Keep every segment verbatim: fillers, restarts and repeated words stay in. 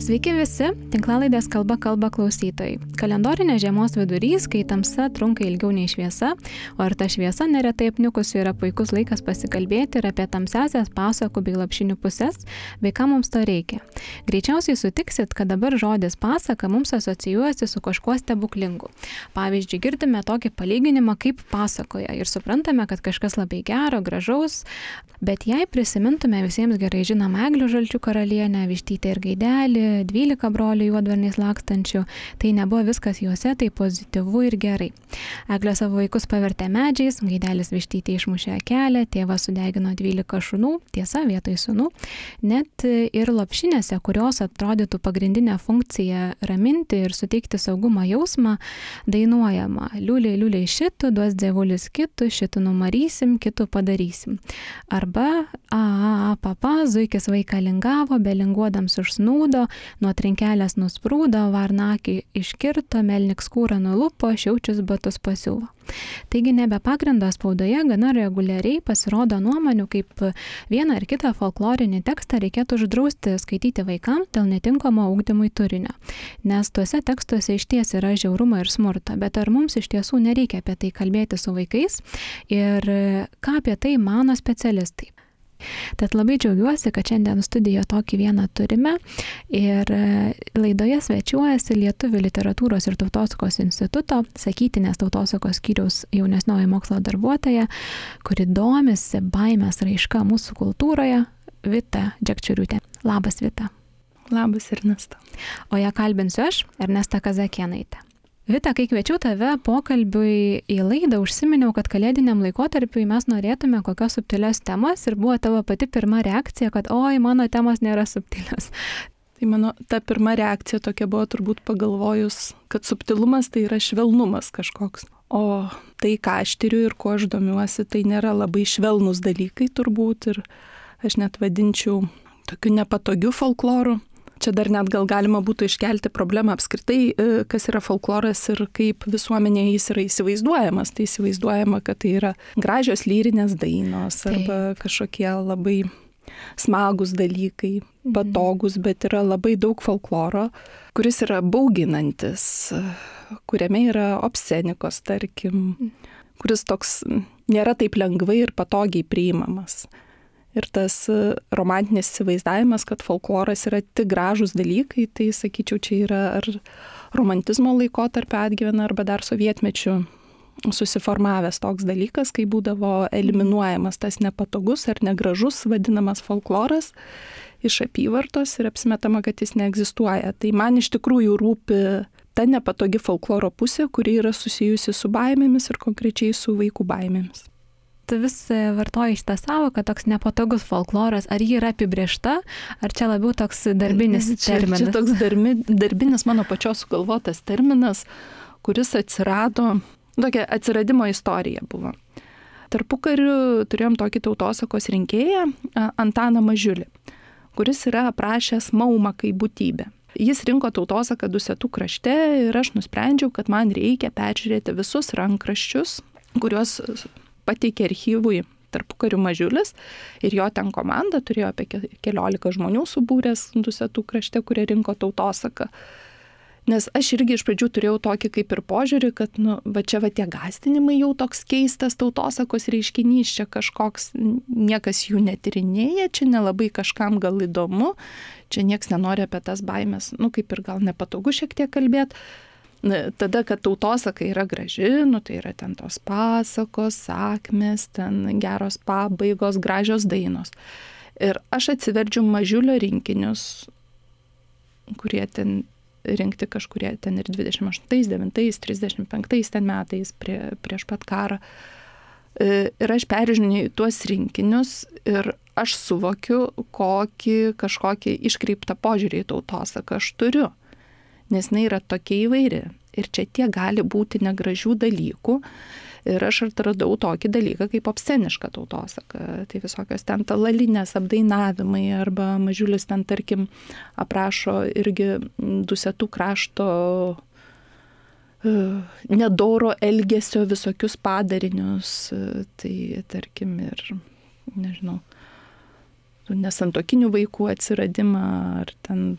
Sveiki visi, tinklalaidės Kalba kalba klausytojai. Kalendorinė žiemos vidurys, kai tamsa trunka ilgiau nei šviesa, o ir ta šviesa neretai apniukusi yra puikus laikas pasikalbėti ir apie tamsiasias pasakų bei lopšinių pusės, bei ką mums to reikia. Greičiausiai sutiksit, kad dabar žodis pasaka mums asocijuojasi su kažkuo stebuklingu. Pavyzdžiui, girdime tokį palyginimą kaip pasakoja ir suprantame, kad kažkas labai gero, gražaus, bet jei prisimintume visiems gerai žinomą Eglių žalčių karalienę, Vištytę ir Gaidelį, dvylika brolių juodvarniais lakstančių, tai nebuvo viskas juose, tai pozityvu ir gerai. Eglė savo vaikus pavertė medžiais, Gaidelis Vištytė išmušė kelią, tėvas sudegino dvylika šunų, tiesa vietoj sūnų. Net ir lopšinėse, kurios atrodytų pagrindinę funkciją raminti ir suteikti saugumo jausmą, dainuojama: liuliai, liuliai šitų, duos dievulis kitų, šitų numarysim, kitų padarysim. Arba a, a, a, papa, zuikis vaiką lingavo, belinguodams užsnūdo, nuo trinkelės nusprūdo, varnakį iškirto, melnik skūrą nulupo, šiaučius batus pasiuvo. Taigi nebe pagrindo spaudoje gana reguliariai pasirodo nuomonių, kaip vieną ar kitą folklorinį tekstą reikėtų uždrausti skaityti vaikams dėl netinkamo ugdymui turinio. Nes tuose tekstuose išties yra žiaurumo ir smurto, bet ar mums iš tiesų nereikia apie tai kalbėti su vaikais ir ką apie tai mano specialistai? Tad labai džiaugiuosi, kad šiandien studijoje tokį vieną turime ir laidoje svečiuojasi Lietuvių literatūros ir tautosakos instituto sakytinės tautosakos skyriaus jaunesnioji mokslo darbuotoja, kuri domisi baimės raiška mūsų kultūroje, Vita Džekčioriūtė. Labas, Vita. Labas, Ernesta. O ją kalbinsiu aš, Ernesta Kazakėnaitė. Vita, kai kviečiau tave pokalbiui į laidą, užsiminiau, kad kalėdiniam laikotarpiui mes norėtume kokios subtilios temos ir buvo tavo pati pirma reakcija, kad oi, mano temos nėra subtilios. Tai mano ta pirma reakcija tokia buvo turbūt pagalvojus, kad subtilumas tai yra švelnumas kažkoks. O tai, ką aš tyriu ir kuo aš domiuosi, tai nėra labai švelnus dalykai turbūt ir aš net vadinčiau tokiu nepatogiu folkloru. Čia dar net gal galima būtų iškelti problemą apskritai, kas yra folkloras ir kaip visuomenėje jis yra įsivaizduojamas. Tai įsivaizduojama, kad tai yra gražios lyrinės dainos arba tai kažkokie labai smagus dalykai, patogus, bet yra labai daug folkloro, kuris yra bauginantis, kuriame yra obscenikos, tarkim, kuris toks nėra taip lengvai ir patogiai priimamas. Ir tas romantinis įsivaizdavimas, kad folkloras yra tik gražūs dalykai, tai sakyčiau, čia yra ar romantizmo laikotarpio atgyvena, arba dar sovietmečių susiformavęs toks dalykas, kai būdavo eliminuojamas tas nepatogus ar negražus vadinamas folkloras iš apyvartos ir apsimetama, kad jis neegzistuoja. Tai man iš tikrųjų rūpi ta nepatogi folkloro pusė, kuri yra susijusi su baimėmis ir konkrečiai su vaikų baimėmis. Tu vis vartoji šitą savoką, toks nepatogus folkloras, ar ji yra apibrėžta, ar čia labiau toks darbinis terminas? Čia, čia toks darbi, darbinis mano pačios sugalvotas terminas, kuris atsirado, tokia atsiradimo istorija buvo. Tarpukariu turėjom tokį tautosakos rinkėją, Antaną Mažiulį, kuris yra aprašęs maumą kaip būtybę. Jis rinko tautosaką Dusetų krašte ir aš nusprendžiau, kad man reikia peržiūrėti visus rankraščius, kuriuos pateikė archyvui tarpukariu Mažiulis ir jo ten komanda turėjo apie keliolika žmonių subūręs Dusetų krašte, kurie rinko tautosaką. Nes aš irgi iš pradžių turėjau tokį kaip ir požiūrį, kad nu, va čia va tie gąsdinimai jau toks keistas tautosakos reiškinys, čia kažkoks, niekas jų netyrinėja, čia nelabai kažkam gal įdomu, čia nieks nenori apie tas baimės, nu kaip ir gal nepatogu šiek tiek kalbėti. Tada, kad tautosaka yra graži, nu tai yra ten tos pasakos, sakmės, ten geros pabaigos, gražios dainos. Ir aš atsiverčiu Mažiulio rinkinius, kurie ten rinkti kažkurie ten ir dvidešimt aštuntais, devintais, trisdešimt penktais ten metais prie, prieš pat karą. Ir aš peržiūrėjau tuos rinkinius ir aš suvokiu, kokį kažkokį iškreiptą požiūrį į tautosaką aš turiu. Nes jinai yra tokia įvairi. Ir čia tiek gali būti negražių dalykų. Ir aš atradau tokį dalyką kaip obsceniška tautosaka. Tai visokios ten talalinės apdainavimai arba Mažiulis ten, tarkim, aprašo irgi Dusetų krašto nedoro elgesio visokius padarinius. Tai, tarkim, ir, nežinau, nesantokinių vaikų atsiradimą ar ten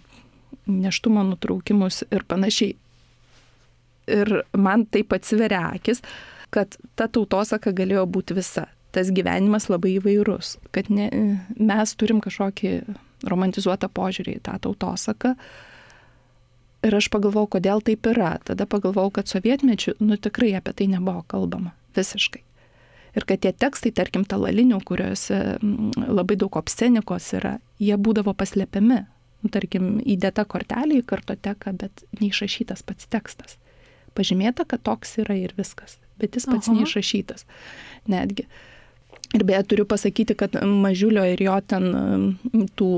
nėštumo nutraukimus ir panašiai. Ir man taip atsiveria akis, kad ta tautosaka galėjo būti visa. Tas gyvenimas labai įvairus, kad ne, mes turim kažkokį romantizuotą požiūrį į tą tautosaką. Ir aš pagalvojau, kodėl taip yra. Tada pagalvojau, kad sovietmečiu, nu tikrai apie tai nebuvo kalbama visiškai. Ir kad tie tekstai, tarkim, talalinių, kuriuose labai daug obscenikos yra, jie būdavo paslepiami. Nu, tarkim, įdėta kortelė į kartoteką, bet neišrašytas pats tekstas. Pažymėta, kad toks yra ir viskas, bet jis pats Aha. neišrašytas netgi. Ir beje, turiu pasakyti, kad Mažiulio ir jo ten tų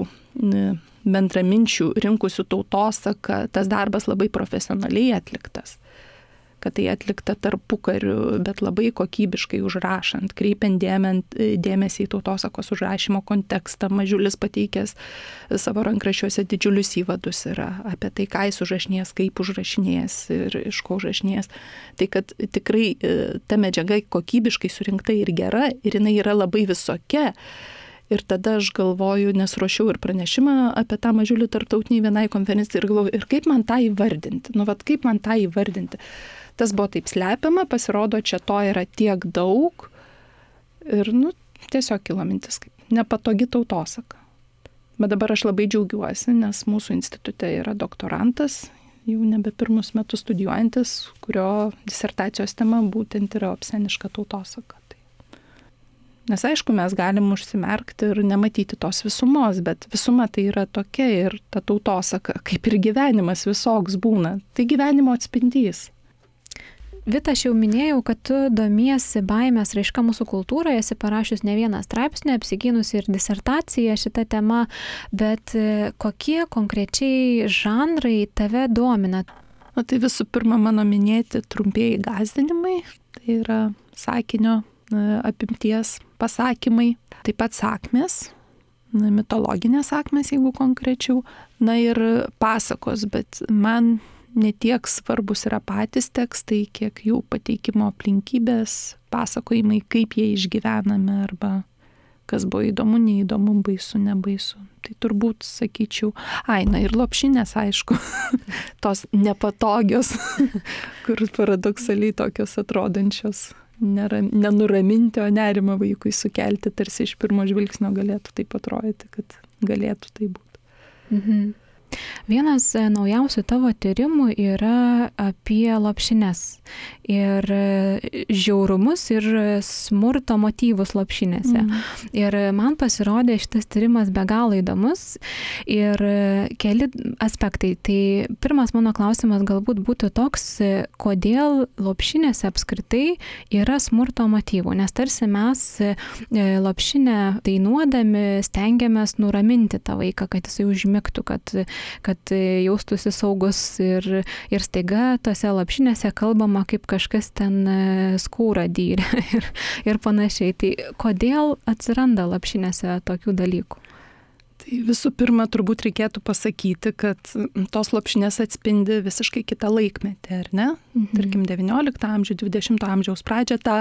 bendraminčių rinkusių tautosaką, tas darbas labai profesionaliai atliktas. Kad tai atlikta tarpukariu, bet labai kokybiškai užrašant, kreipiant dėmesį į tautosakos užrašymo kontekstą. Mažiulis pateikęs savo rankraščiuose didžiulius įvadus yra apie tai, ką jis užrašinės, kaip užrašinės ir iš ko užrašinės. Tai kad tikrai ta medžiaga kokybiškai surinkta ir gera ir jinai yra labai visokia. Ir tada aš galvoju, nes ruošiau ir pranešimą apie tą Mažiulį tarptautiniai vienai konferencijai ir galvoju, ir kaip man tą įvardinti? Nu, vat kaip man tą įvardinti? Tas buvo taip slepiama, pasirodo, čia to yra tiek daug ir, nu, tiesiog kilo mintis, kaip nepatogi tautosaka. Bet dabar aš labai džiaugiuosi, nes mūsų institute yra doktorantas, jau nebe pirmus metus studijuojantis, kurio disertacijos tema būtent yra obsceniška tautosaka. Nes aišku, mes galim užsimerkti ir nematyti tos visumos, bet visuma tai yra tokia ir ta tautosaka, kaip ir gyvenimas visoks būna. Tai gyvenimo atspindys. Vita, aš jau minėjau, kad tu domiesi baimės raiška mūsų kultūroje, esi parašius ne vieną straipsnį, apsigynusi ir disertaciją šitą temą, bet kokie konkrečiai žanrai tave domina? O tai visų pirma mano minėti trumpieji gąsdinimai, tai yra sakinio apimties pasakymai, taip pat sakmės, mitologinės sakmės, jeigu konkrečiau, na ir pasakos, bet man netiek svarbus yra patys tekstai, kiek jų pateikimo aplinkybės, pasakojimai, kaip jie išgyvenami arba kas buvo įdomu, neįdomu, baisu, nebaisu. Tai turbūt sakyčiau, ai, na ir lopšinės, aišku, tos nepatogios, kur paradoksaliai tokios atrodančios, nėra, nenuraminti, o nerimą vaikui sukelti, tarsi iš pirmo žvilgsnio galėtų taip atrodyti, kad galėtų tai būti. Mhm. Vienas naujausių tavo tyrimų yra apie lopšines ir žiaurumus ir smurto motyvus lopšinėse. Mm. Ir man pasirodė šitas tyrimas be galo įdomus ir keli aspektai. Tai pirmas mano klausimas galbūt būtų toks, kodėl lopšinėse apskritai yra smurto motyvų, nes tarsi mes lopšinę dainuodami stengiamės nuraminti tą vaiką, kad jisai užmigtų, kad kad jaustųsi saugus ir, ir staiga tose lopšinėse kalbama, kaip kažkas ten skūrą dyrė ir, ir panašiai. Tai kodėl atsiranda lopšinėse tokių dalykų? Tai visų pirma, turbūt reikėtų pasakyti, kad tos lopšinės atspindi visiškai kitą laikmetį, ar ne? Mhm. Tarkim, devyniolikto amžiaus, dvidešimto amžiaus pradžią tą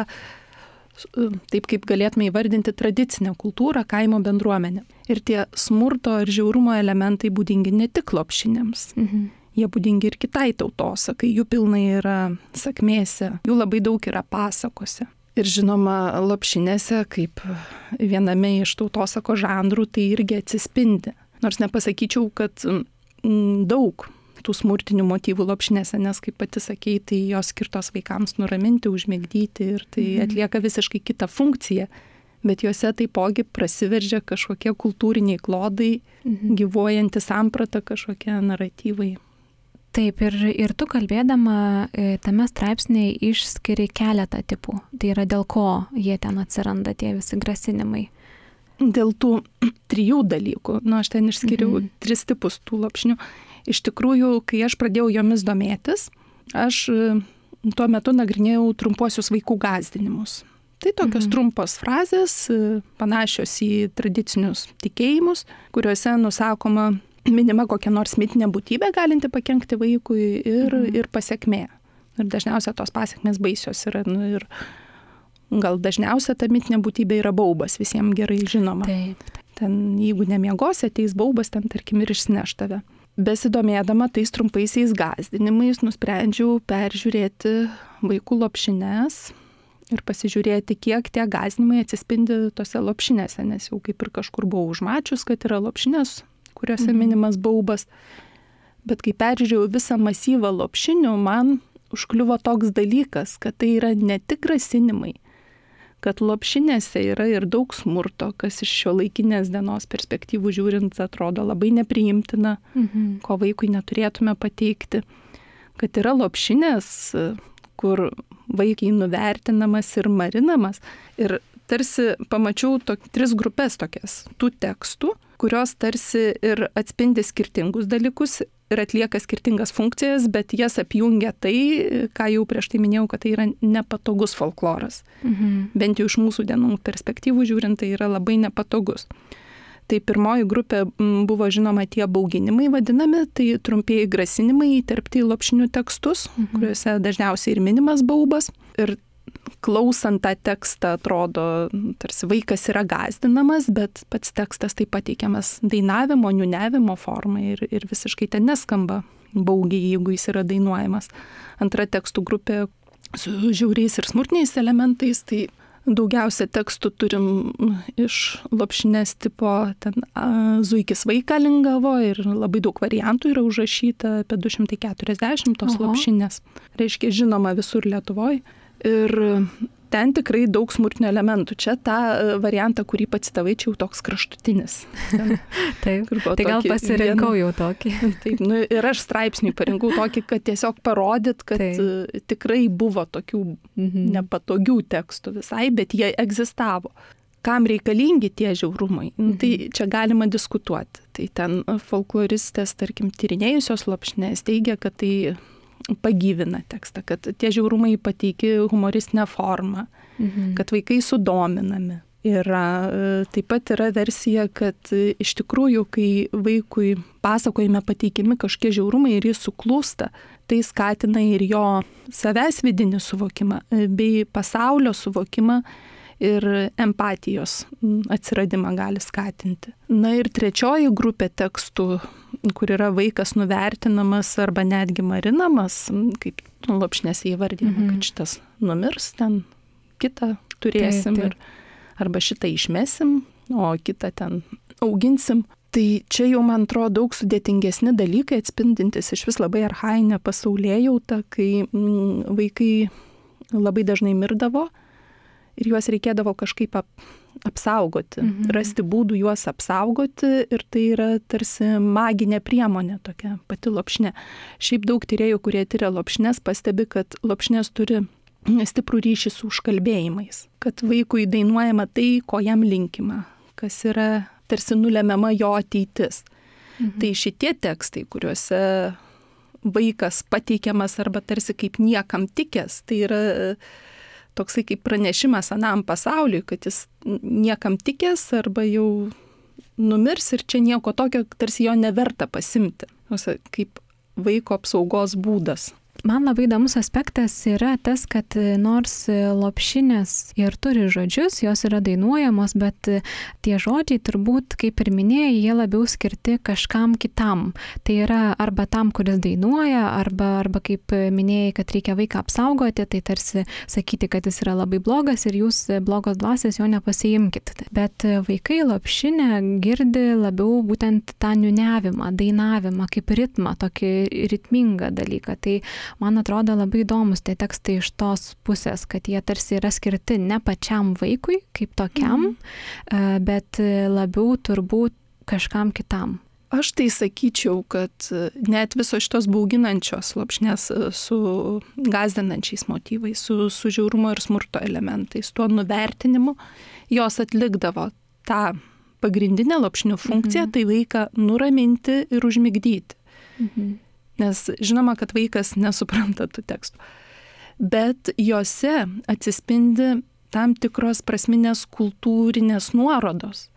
taip kaip galėtume įvardinti tradicinę kultūrą, kaimo bendruomenę. Ir tie smurto ir žiaurumo elementai būdingi ne tik lopšinėms. Mhm. Jie būdingi ir kitai tautosakai, jų pilnai yra sakmėse, jų labai daug yra pasakose. Ir žinoma, lopšinėse, kaip viename iš tautosako žanrų, tai irgi atsispindi. Nors nepasakyčiau, kad m, daug tų smurtinių motyvų lopšinėse, nes, kaip pati sakei, tai jos skirtos vaikams nuraminti, užmigdyti ir tai atlieka visiškai kitą funkciją, bet juose taipogi prasiveržia kažkokie kultūriniai klodai, mhm. gyvuojanti samprata, kažkokie naratyvai. Taip, ir, ir tu kalbėdama tame straipsnėje išskiri keletą tipų. Tai yra dėl ko jie ten atsiranda, tie visi grasinimai. Dėl tų trijų dalykų. Nu, aš ten išskiriau mhm. tris tipus tų lopšinių. Iš tikrųjų, kai aš pradėjau jomis domėtis, aš tuo metu nagrinėjau trumpuosius vaikų gąsdinimus. Tai tokios mhm. trumpos frazės, panašios į tradicinius tikėjimus, kuriuose nusakoma, minima kokia nors mitinė būtybė galinti pakenkti vaikui ir, mhm. ir pasekmė. Ir dažniausiai tos pasekmės baisios yra. Nu, ir gal dažniausia ta mitinė būtybė yra baubas, visiems gerai žinoma. Taip. Ten, jeigu nemiegosi, ateis baubas, ten tarkim ir išsineš tave. besidomėdama tais trumpaisiais gąsdinimais nusprendžiau peržiūrėti vaikų lopšines ir pasižiūrėti, kiek tie gąsdinimai atsispindi tose lopšinėse, nes jau kaip ir kažkur buvau užmačius, kad yra lopšinės, kuriuose minimas baubas. Bet kai peržiūrėjau visą masyvą lopšinių, man užkliuvo toks dalykas, kad tai yra ne tik grasinimai, kad lopšinėse yra ir daug smurto, kas iš šio laikinės dienos perspektyvų žiūrint atrodo labai nepriimtina, mhm. ko vaikui neturėtume pateikti, kad yra lopšinės, kur vaikai nuvertinamas ir marinamas. Ir tarsi pamačiau tok, tris grupės tokias tų tekstų, kurios tarsi ir atspindi skirtingus dalykus ir atlieka skirtingas funkcijas, bet jas apjungia tai, ką jau prieš tai minėjau, kad tai yra nepatogus folkloras. Mhm. Bent jau iš mūsų dienų perspektyvų žiūrint, tai yra labai nepatogus. Tai pirmoji grupė buvo žinoma tie bauginimai vadinami, tai trumpieji grasinimai įterpti į lopšinių tekstus, mhm. kuriuose dažniausiai ir minimas baubas. Ir klausant tą tekstą atrodo, tarsi vaikas yra gąsdinamas, bet pats tekstas tai pateikiamas dainavimo, niūniavimo formai ir, ir visiškai ten neskamba baugiai, jeigu jis yra dainuojamas. Antra tekstų grupė su žiauriais ir smurtiniais elementais, tai daugiausia tekstų turim iš lopšinės tipo, ten a, zuikis vaiką lingavo ir labai daug variantų yra užrašyta, apie du šimtai keturiasdešimt tos Oho. Lopšinės. Reiškia, žinoma visur Lietuvoje. Ir ten tikrai daug smurtinių elementų. Čia tą variantą, kurį pacitavai, čia jau toks kraštutinis. Ten, taip, tai gal pasirinkau vien... jau tokį. Taip, nu, ir aš straipsniui parinkau tokį, kad tiesiog parodyt, kad taip. Tikrai buvo tokių mhm. nepatogių tekstų visai, bet jie egzistavo. Kam reikalingi tie žiaurumai? Mhm. Tai čia galima diskutuoti. Tai ten folkloristės, tarkim, tyrinėjusios lopšinės teigia, kad tai pagyvina tekstą, kad tie žiaurumai pateiki humoristinę formą, mhm. kad vaikai sudominami. Yra, taip pat yra versija, kad iš tikrųjų, kai vaikui pasakojime pateikimi kažkokie žiaurumai ir jis suklūsta, tai skatina ir jo savęs vidinį suvokimą, bei pasaulio suvokimą ir empatijos atsiradimą gali skatinti. Na ir trečioji grupė tekstų, kur yra vaikas nuvertinamas arba netgi marinamas, kaip lopšinėse įvardinama, mm-hmm. kad šitas numirs, ten kitą turėsim taip, taip. Ir, arba šitą išmesim, o kitą ten auginsim. Tai čia jau, man atrodo, daug sudėtingesni dalykai atspindintis iš vis labai archainę pasaulėjautą, kai mm, vaikai labai dažnai mirdavo ir juos reikėdavo kažkaip ap, apsaugoti, mhm. rasti būdų juos apsaugoti ir tai yra tarsi maginė priemonė tokia pati lopšinė. Šiaip daug tyrėjų, kurie tyria lopšines, pastebi, kad lopšinės turi stiprų ryšį su užkalbėjimais, kad vaikui dainuojama tai, ko jam linkima, kas yra tarsi nulemiama jo ateitis. Mhm. Tai šitie tekstai, kuriuose vaikas pateikiamas arba tarsi kaip niekam tikęs, tai yra toksai kaip pranešimas anam pasauliui, kad jis niekam tikęs arba jau numirs ir čia nieko tokio, tarsi jo neverta pasimti, kaip vaiko apsaugos būdas. Man labai įdomus aspektas yra tas, kad nors lopšinės ir turi žodžius, jos yra dainuojamos, bet tie žodžiai turbūt, kaip ir minėjai, jie labiau skirti kažkam kitam. Tai yra arba tam, kuris dainuoja, arba, arba kaip minėjai, kad reikia vaiką apsaugoti, tai tarsi sakyti, kad jis yra labai blogas ir jūs blogos dvasios jo nepasiimkit. Bet vaikai lopšinę girdi labiau būtent tą niūniavimą, dainavimą, kaip ritmą, tokį ritmingą dalyką. Tai man atrodo labai įdomus tie tekstai iš tos pusės, kad jie tarsi yra skirti ne pačiam vaikui kaip tokiam, mm. bet labiau turbūt kažkam kitam. Aš tai sakyčiau, kad net visos šitos bauginančios lopšinės su gąsdinančiais motyvais, su, su žiaurumo ir smurto elementais, tuo nuvertinimu, jos atlikdavo tą pagrindinę lopšinių funkciją, mm-hmm. tai vaiką nuraminti ir užmigdyti. Mm-hmm. Nes žinoma, kad vaikas nesupranta tų tekstų. Bet jose atsispindi tam tikros prasminės kultūrinės nuorodos.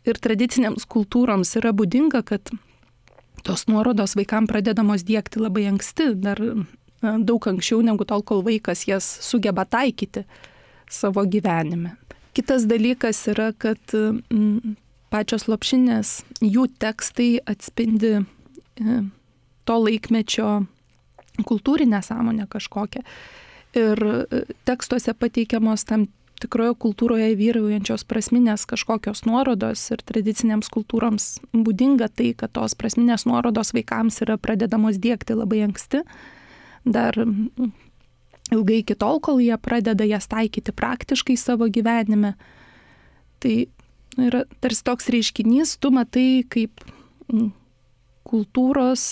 Ir tradicinėms kultūroms yra būdinga, kad tos nuorodos vaikams pradedamos diegti labai anksti, dar daug anksčiau negu tol, kol vaikas jas sugeba taikyti savo gyvenime. Kitas dalykas yra, kad m, pačios lopšinės, jų tekstai atspindi to laikmečio kultūrinę sąmonę kažkokią. Ir tekstuose pateikiamos tam tikroje kultūroje vyraujančios prasminės kažkokios nuorodos ir tradicinėms kultūroms būdinga tai, kad tos prasminės nuorodos vaikams yra pradedamos diegti labai anksti. Dar ilgai iki tol, kol jie pradeda jas taikyti praktiškai savo gyvenime. Tai yra tarsi toks reiškinys, tu matai kaip kultūros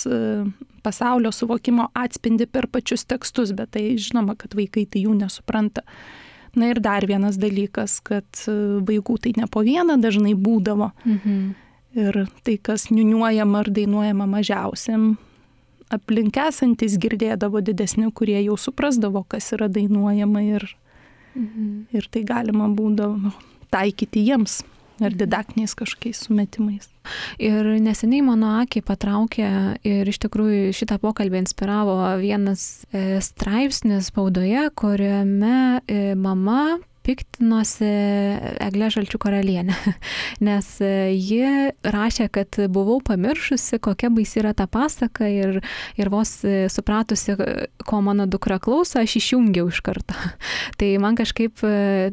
pasaulio suvokimo atspindi per pačius tekstus, bet tai žinoma, kad vaikai tai jų nesupranta. Na ir dar vienas dalykas, kad vaikų tai ne po vieną dažnai būdavo. Mhm. Ir tai, kas niuniuojama ar dainuojama mažiausiam, aplink esantis girdėdavo didesni, kurie jau suprasdavo, kas yra dainuojama ir, mhm. ir tai galima būdavo taikyti jiems ar didaktiniais kažkokiais sumetimais. Ir neseniai mano akį patraukė ir iš tikrųjų šitą pokalbį inspiravo vienas e, straipsnis spaudoje, kuriame e, mama piktinosi Egle Žalčių karalienę, nes ji rašė, kad buvau pamiršusi, kokia baisi yra ta pasaka ir, ir vos supratusi, ko mano dukra klauso, aš išjungiau iš karto. Tai man kažkaip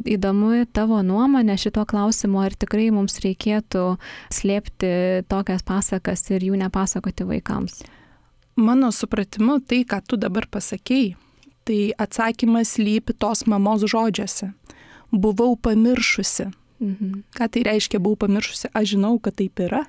įdomu tavo nuomonė šito klausimu, ar tikrai mums reikėtų slėpti tokias pasakas ir jų nepasakoti vaikams. Mano supratimu, tai, ką tu dabar pasakei, tai atsakymas lypi tos mamos žodžiuose. Buvau pamiršusi. Mhm. Ką tai reiškia, buvau pamiršusi? Aš žinau, kad taip yra.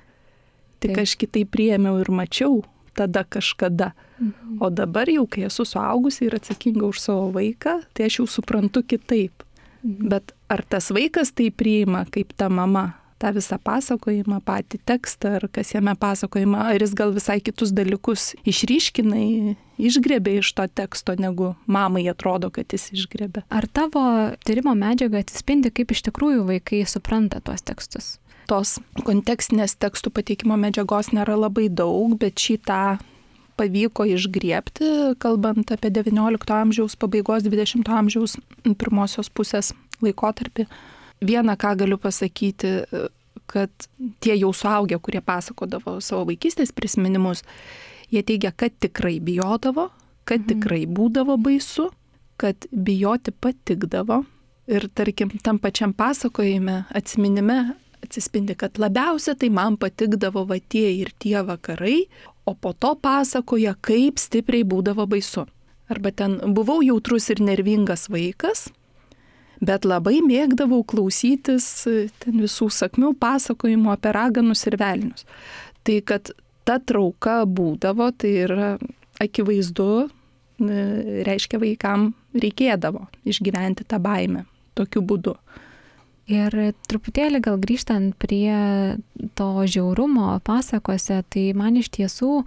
Tik taip. Aš kitaip priėmiau ir mačiau tada kažkada. Mhm. O dabar jau, kai esu suaugusi ir atsakinga už savo vaiką, tai aš jau suprantu kitaip. Mhm. Bet ar tas vaikas tai priima kaip ta mama? tą visą pasakojimą, patį tekstą, ar kas jame pasakojama, ar jis gal visai kitus dalykus išryškinai, išgrebė iš to teksto, negu mamai atrodo, kad jis išgrebė. Ar tavo tyrimo medžiaga atsispindi, kaip iš tikrųjų vaikai supranta tuos tekstus? Tos kontekstinės tekstų pateikimo medžiagos nėra labai daug, bet šitą pavyko išgriebti, kalbant apie devyniolikto amžiaus pabaigos, dvidešimto amžiaus pirmosios pusės laikotarpį. Viena, ką galiu pasakyti, kad tie jau suaugę, kurie pasakodavo savo vaikystės prisiminimus, jie teigia, kad tikrai bijodavo, kad tikrai būdavo baisu, kad bijoti patikdavo. Ir tarkim, tam pačiam pasakojime, atsiminime atsispindi, kad labiausia tai man patikdavo va tie ir tie vakarai, o po to pasakoja, kaip stipriai būdavo baisu. Arba ten buvau jautrus ir nervingas vaikas, bet labai mėgdavau klausytis ten visų sakmių pasakojimų apie raganus ir velnius. Tai kad ta trauka būdavo, tai yra akivaizdu, reiškia vaikam reikėdavo išgyventi tą baimę tokiu būdu. Ir truputėlį gal grįžtant prie to žiaurumo pasakose, tai man iš tiesų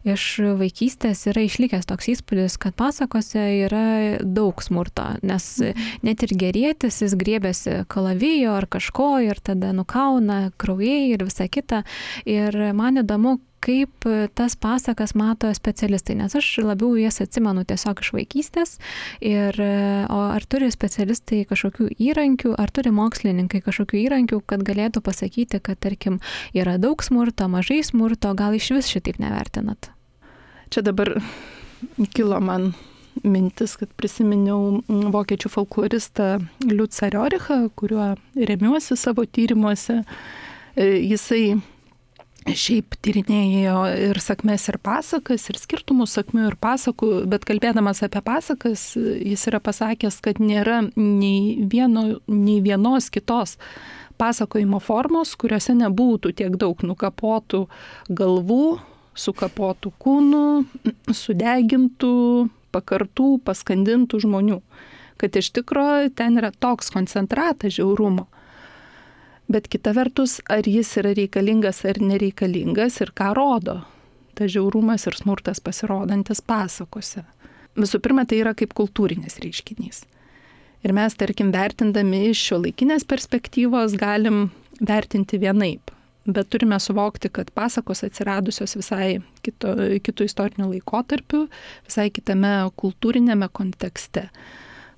iš vaikystės yra išlikęs toks įspūdis, kad pasakose yra daug smurto, nes net ir gerėtis jis griebėsi kalavijo ar kažko ir tada nukauna kraujai ir visa kita. Ir man įdomu, kaip tas pasakas mato specialistai, nes aš labiau jas atsimenu tiesiog iš vaikystės. Ir, o ar turi specialistai kažkokių įrankių, ar turi mokslininkai kažkokių įrankių, kad galėtų pasakyti, kad tarkim yra daug smurto, mažai smurto, gal iš vis šitaip nevertinat? Čia dabar kilo man mintis, kad prisiminiau vokiečių folkloristą Liucą Riorichą, kuriuo remiuosi savo tyrimuose. Jisai šiaip tyrinėjo ir sakmes, ir pasakas, ir skirtumus sakmių ir pasakų, bet kalbėdamas apie pasakas, jis yra pasakęs, kad nėra nei, vieno, nei vienos kitos pasakojimo formos, kuriuose nebūtų tiek daug nukapotų galvų, sukapotų kūnų, sudegintų, pakartų, paskandintų žmonių. Kad iš tikrųjų ten yra toks koncentratas žiaurumo. Bet kita vertus, ar jis yra reikalingas ar nereikalingas ir ką rodo ta žiaurumas ir smurtas pasirodantis pasakose. Visų pirma, tai yra kaip kultūrinis reiškinys. Ir mes, tarkim, vertindami iš šiuolaikinės perspektyvos galim vertinti vienaip. Bet turime suvokti, kad pasakos atsiradusios visai kito, kitų istorinių laikotarpių, visai kitame kultūrinėme kontekste.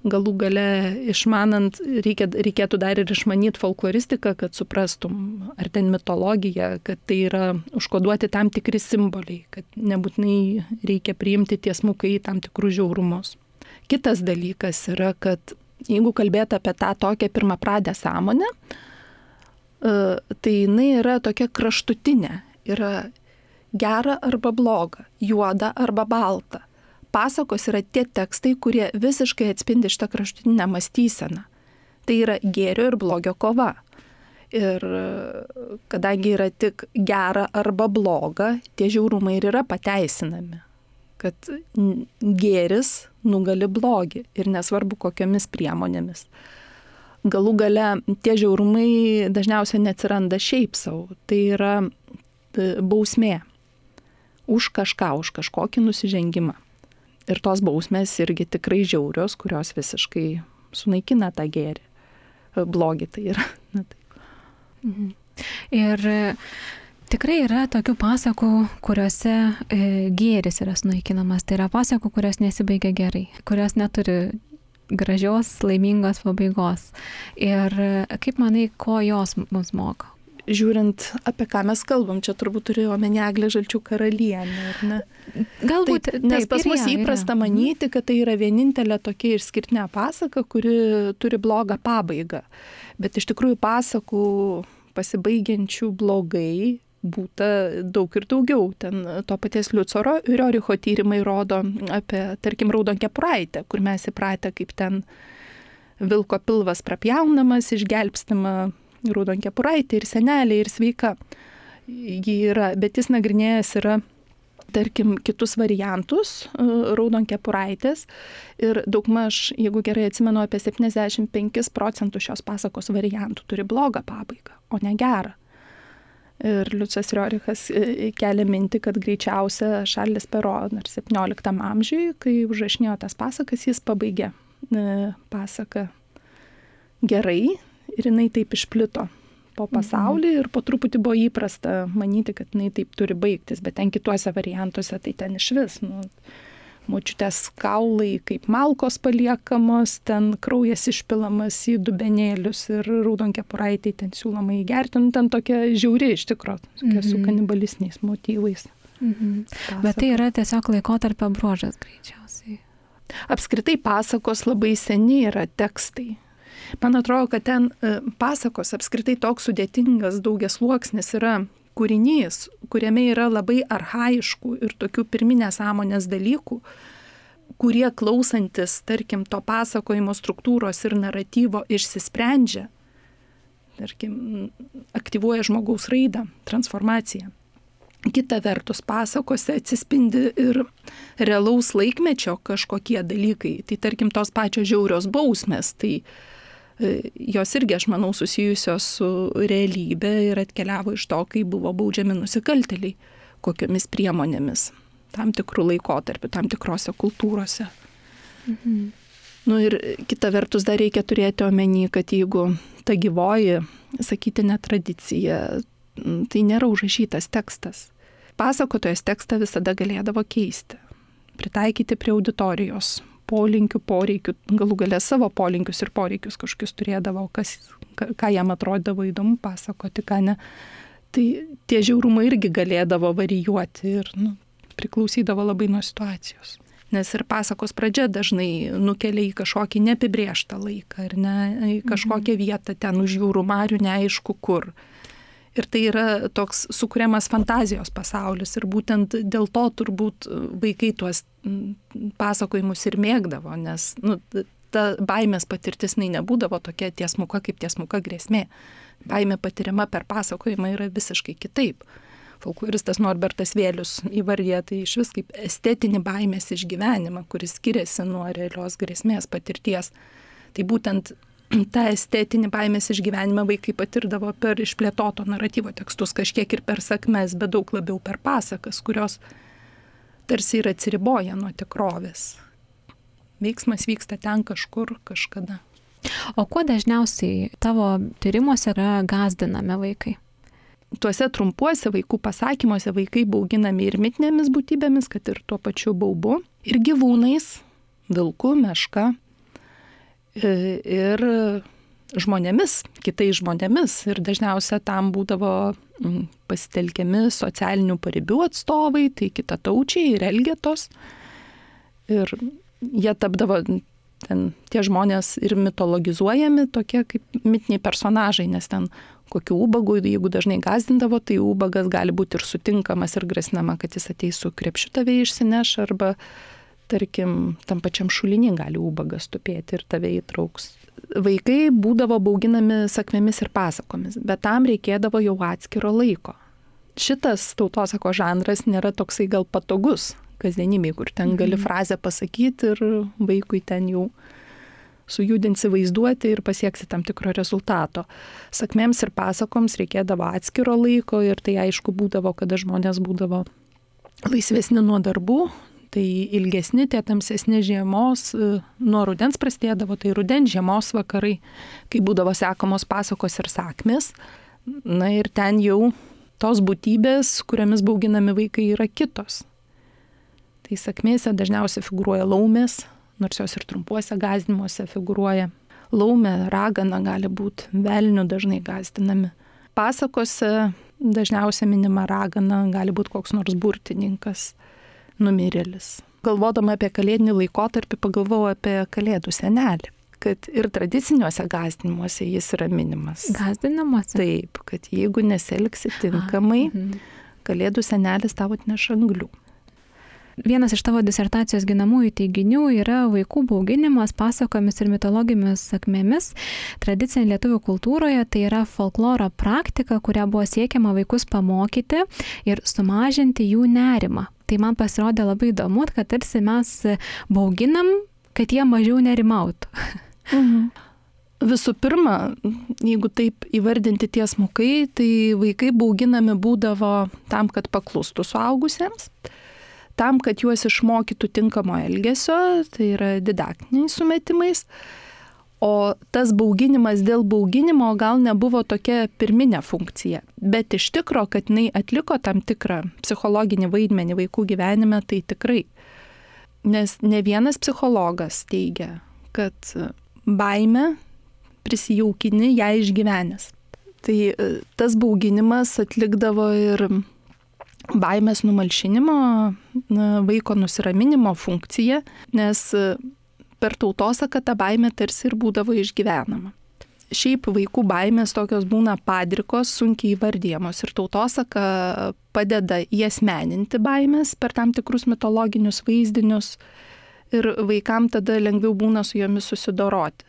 Galų gale išmanant, reikia, reikėtų dar ir išmanyti folkloristiką, kad suprastum ar ten mitologija, kad tai yra užkoduoti tam tikri simboliai, kad nebūtinai reikia priimti tiesmukai tam tikrus žiaurumus. Kitas dalykas yra, kad jeigu kalbėti apie tą tokią pirmapradę sąmonę, tai jinai yra tokia kraštutinė, yra gera arba bloga, juoda arba balta. Pasakos yra tie tekstai, kurie visiškai atspindi šitą kraštutinę mąstyseną. Tai yra gėrio ir blogio kova. Ir kadangi yra tik gera arba bloga, tie žiaurumai ir yra pateisinami. Kad gėris nugali blogį ir nesvarbu kokiomis priemonėmis. Galų gale tie žiaurumai dažniausiai neatsiranda šiaip savo. Tai yra bausmė už kažką, už kažkokį nusižengimą. Ir tos bausmės irgi tikrai žiaurios, kurios visiškai sunaikina tą gėrį. Blogį tai yra. Na, taip. Mhm. Ir tikrai yra tokių pasakų, kuriuose e, gėris yra sunaikinamas. Tai yra pasakų, kurios nesibaigia gerai, kurios neturi gražios, laimingos pabaigos. Ir kaip manai, ko jos mums moko? Žiūrint, apie ką mes kalbam, čia turbūt turi omeny Eglę Žalčių karalienę, ar ne? Galbūt, taip, nes taip, pas mus yra, įprasta yra. manyti, kad tai yra vienintelė tokia išskirtinė pasaka, kuri turi blogą pabaigą. Bet iš tikrųjų pasakų pasibaigiančių blogai būta daug ir daugiau. Ten to paties Liuco Rioricho tyrimai rodo apie, tarkim, Raudonkepuraitę, kur mes įpratę, kaip ten vilko pilvas prapjaunamas, išgelbstima Raudonkepuraitė ir senelė ir sveika. Ji yra, bet jis nagrinėjęs yra, tarkim, kitus variantus Raudonkepuraitės ir daugmaž, jeigu gerai atsimenu, apie septyniasdešimt penkis procentus šios pasakos variantų turi blogą pabaigą, o ne gerą. Ir Liucas Riorichas kelia mintį, kad greičiausia Šarlis Pero dar septynioliktam amžiui, kai užrašinėjo tas pasakas, jis pabaigė pasaką gerai. Ir jinai taip išplito po pasaulį ir po truputį buvo įprasta manyti, kad jinai taip turi baigtis, bet ten kituose variantuose tai ten iš vis, nu, močiutės kaulai kaip malkos paliekamos, ten kraujas išpilamas į dubenėlius ir Raudonkepuraitei ten siūloma įgerti, nu, ten tokia žiauri iš tikro, tokia mm-hmm. su kanibalistiniais motyvais. Mm-hmm. Bet tai yra tiesiog laikotarpio bruožas greičiausiai. Apskritai pasakos labai seni yra tekstai. Man atrodo, kad ten pasakos apskritai toks sudėtingas daugiasluoksnis yra kūrinys, kuriame yra labai archaiškų ir tokių pirminės sąmonės dalykų, kurie klausantis, tarkim, to pasakojimo struktūros ir naratyvo išsisprendžia, tarkim, aktyvuoja žmogaus raidą, transformaciją. Kita vertus, pasakose atsispindi ir realaus laikmečio kažkokie dalykai. Tai tarkim, tos pačios žiaurios bausmės, tai jos irgi, aš manau, susijusios su realybė ir atkeliavo iš to, kai buvo baudžiami nusikaltėliai, kokiomis priemonėmis, tam tikrų laikotarpių, tam tikrose kultūrose. Mhm. Nu ir kita vertus dar reikia turėti omeny, kad jeigu ta gyvoji sakytinė tradicija, tai nėra užrašytas tekstas. Pasakotojas tekstą visada galėdavo keisti, pritaikyti prie auditorijos polinkių, poreikių, galų gale savo polinkius ir poreikius kažkokius turėdavo, kas, ką jam atrodavo įdomu pasakoti, ką ne. Tai tie žiaurumai irgi galėdavo varijuoti ir nu, priklausydavo labai nuo situacijos. Nes ir pasakos pradžia dažnai nukelia į kažkokį neapibrėžtą laiką, ar ne, į kažkokią vietą ten už jūrų marių, neaišku kur. Ir tai yra toks sukuriamas fantazijos pasaulis ir būtent dėl to turbūt vaikai tuos pasakojimus ir mėgdavo, nes nu, ta baimės patirtis nebūdavo tokia tiesmuka kaip tiesmuka grėsmė. Baimė patiriama per pasakojimą yra visiškai kitaip. Folkloristas Norbertas Vėlius įvardija tai iš vis kaip estetinį baimės išgyvenimą, kuris skiriasi nuo realios grėsmės patirties. Tai būtent tą estetinį baimės išgyvenimą vaikai patirdavo per išplėtoto naratyvo tekstus, kažkiek ir per sakmes, bet daug labiau per pasakas, kurios tarsi ir atsiriboja nuo tikrovės. Veiksmas vyksta ten kažkur, kažkada. O kuo dažniausiai tavo tyrimuose yra gąsdinami vaikai? Tuose trumpuose vaikų pasakymuose vaikai bauginami ir mitinėmis būtybėmis, kad ir tuo pačiu baubu, ir gyvūnais, vilku, meška, ir žmonėmis, kitais žmonėmis. Ir dažniausia tam būdavo pasitelkiami socialinių paribių atstovai, tai kitataučiai ir elgetos. Ir jie tapdavo ten tie žmonės ir mitologizuojami, tokie kaip mitiniai personažai, nes ten kokių ubagų, jeigu dažnai gazdindavo, tai ubagas gali būti ir sutinkamas ir grasinama, kad jis ateis su krepšiu tave išsineš, arba tarkim, tam pačiam šulinį gali ubagas tupėti ir tave įtrauks. Vaikai būdavo bauginami sakmėmis ir pasakomis, bet tam reikėdavo jau atskiro laiko. Šitas tautosako žanras nėra toksai gal patogus kasdienybėj, kur ten gali frazę pasakyti ir vaikui ten jau sujudinsi vaizduoti ir pasieksi tam tikro rezultato. Sakmėms ir pasakoms reikėdavo atskiro laiko ir tai aišku būdavo, kada žmonės būdavo laisvesni nuo darbų, tai ilgesni tie tamsesni žiemos, nuo rudens prasidėdavo, tai rudens žiemos vakarai, kai būdavo sekamos pasakos ir sakmės. Na ir ten jau tos būtybės, kuriamis bauginami vaikai, yra kitos. Tai sakmėse dažniausiai figūruoja laumės, nors jos ir trumpuose gąsdinimuose figūruoja. Laumė, ragana gali būti, velnių dažnai gąsdinami. Pasakose dažniausiai minima ragana, gali būti koks nors burtininkas, numirėlis. Galvodama apie kalėdinį laikotarpį, pagalvojau apie kalėdų senelį, kad ir tradiciniuose gąsdinimuose jis yra minimas. Gąsdinimuose? Taip, kad jeigu nesielgsi tinkamai, kalėdų senelis tau atneš anglių. Vienas iš tavo disertacijos ginamųjų teiginių yra vaikų bauginimas pasakomis ir mitologijomis sakmėmis. Tradicinė lietuvių kultūroje tai yra folkloro praktika, kuria buvo siekiama vaikus pamokyti ir sumažinti jų nerimą. Tai man pasirodė labai įdomu, kad tarsi mes bauginam, kad jie mažiau nerimautų. Mhm. Visų pirma, jeigu taip įvardinti tiesmukai, tai vaikai bauginami būdavo tam, kad paklustų suaugusiems, tam, kad juos išmokytų tinkamo elgesio, tai yra didaktiniais sumetimais, o tas bauginimas dėl bauginimo gal nebuvo tokia pirminė funkcija, bet iš tikro, kad jinai atliko tam tikrą psichologinį vaidmenį vaikų gyvenime, tai tikrai. Nes ne vienas psichologas teigia, kad baimę prisijaukini ją išgyvenęs. Tai tas bauginimas atlikdavo ir baimės numalšinimo, vaiko nusiraminimo funkciją, nes per tautosaką ta baimė tarsi ir būdavo išgyvenama. Šiaip vaikų baimės tokios būna padrikos, sunkiai įvardyjamos ir tautosaka padeda įasmeninti baimės per tam tikrus mitologinius vaizdinius ir vaikam tada lengviau būna su jomis susidoroti.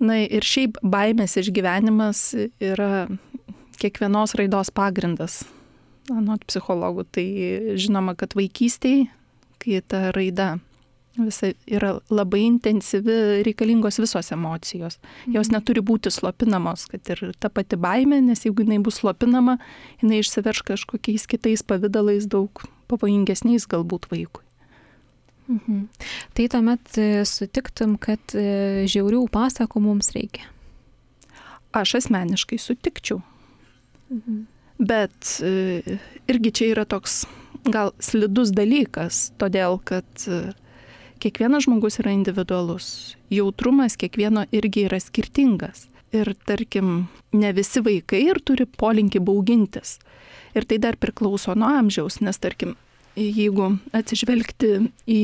Na ir šiaip baimės išgyvenimas yra kiekvienos raidos pagrindas. Anot psichologų, tai žinoma, kad vaikystėje, kai ta raida visa yra labai intensyvi, reikalingos visos emocijos. Jos neturi būti slopinamos, kad ir ta pati baimė, nes jeigu jinai bus slopinama, jinai išsiverš kažkokiais kitais pavydalais daug pavojingesniais galbūt vaikui. Mhm. Tai tuomet sutiktum, kad žiaurių pasakų mums reikia? Aš asmeniškai sutikčiau. Mhm. Bet irgi čia yra toks gal slidus dalykas, todėl kad kiekvienas žmogus yra individualus. Jautrumas kiekvieno irgi yra skirtingas. Ir tarkim, ne visi vaikai ir turi polinkį baugintis. Ir tai dar priklauso nuo amžiaus, nes tarkim, jeigu atsižvelgti į